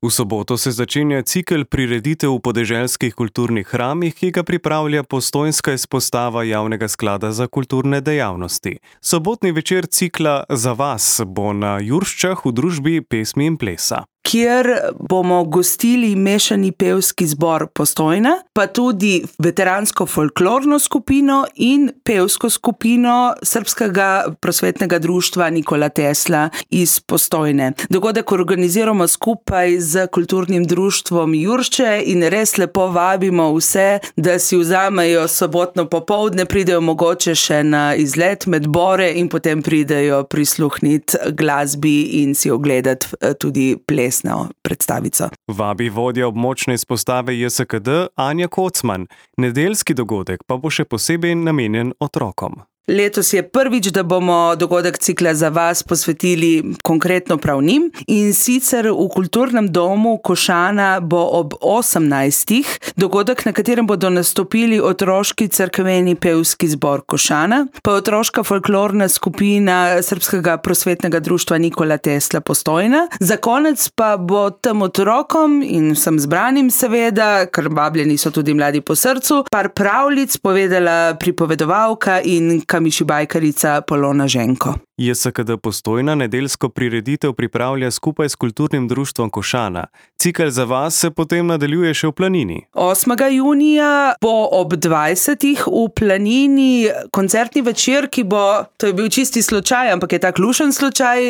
V soboto se začenja cikel prireditev v podeželskih kulturnih hramih, ki ga pripravlja postojnska izpostava Javnega sklada za kulturne dejavnosti. Sobotni večer cikla Za vas bo na Jurščah v družbi pesmi in plesa, kjer bomo gostili mešani pevski zbor Postojna, pa tudi veteransko folklorno skupino in pevsko skupino Srbskega prosvetnega društva Nikola Tesla iz Postojne. Dogodek organiziramo skupaj z kulturnim društvom Juršče in res lepo vabimo vse, da si vzamejo sobotno popoldne, pridejo mogoče še na izlet med bore in potem pridejo prisluhniti glasbi in si ogledati tudi ples predstavico. Vabi vodja območne izpostave JSKD Anja Kocman. Nedeljski dogodek pa bo še posebej namenjen otrokom. Letos je prvič, da bomo dogodek cikla Za vas posvetili konkretno prav njim, in sicer v kulturnem domu Košana bo ob 18. dogodek, na katerem bodo nastopili otroški cerkveni pevski zbor Košana, pa otroška folklorna skupina Srbskega prosvetnega društva Nikola Tesla Postojna. Za konec pa bo tem otrokom in vsem zbranim seveda, ker vabljeni so tudi mladi po srcu, par pravljic povedala pripovedovalka in kamišibajkarica Polona Ženko. JSKD Postojna nedeljsko prireditev pripravlja skupaj s kulturnim društvom Košana. Cikel Za vas se potem nadaljuje še v Planini. 8. junija bo ob 20. v Planini koncertni večer, ki bo, to je bil čisti slučaj, ampak je tak lušen slučaj,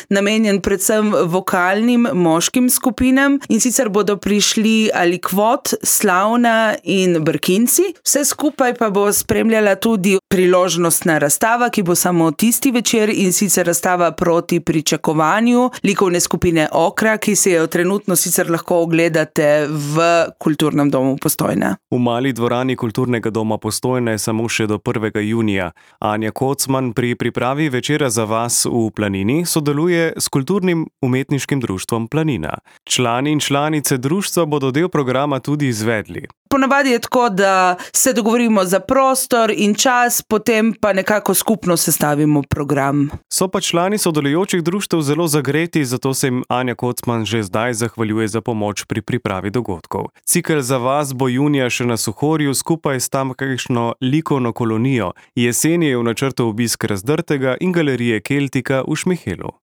namenjen predvsem vokalnim moškim skupinam, in sicer bodo prišli Alikvot, Slavna in Brkinci. Vse skupaj pa bo spremljala tudi priložnostna razstava, ki bo samo tisti večer, in sicer razstava Proti pričakovanju likovne skupine Okra, ki se jo trenutno sicer lahko ogledate v kulturnem domu Postojna. V mali dvorani kulturnega doma Postojna je samo še do 1. junija. Anja Kocman pri pripravi večera Za vas v Planini sodeluje s kulturnim umetniškim društvom Planina. Člani in članice društva bodo del programa tudi izvedli. Ponavadi je tako, da se dogovorimo za prostor in čas, potem pa nekako skupno sestavimo program. So pa člani sodelujočih društev zelo zagreti, zato se jim Anja Kocman že zdaj zahvaljuje za pomoč pri pripravi dogodkov. Cikel Za vas bo junija še na Suhorju skupaj s tamkajšnjo likovno kolonijo. Jeseni je v načrtu obisk Razdrtega in galerije Keltika v Šmihelu.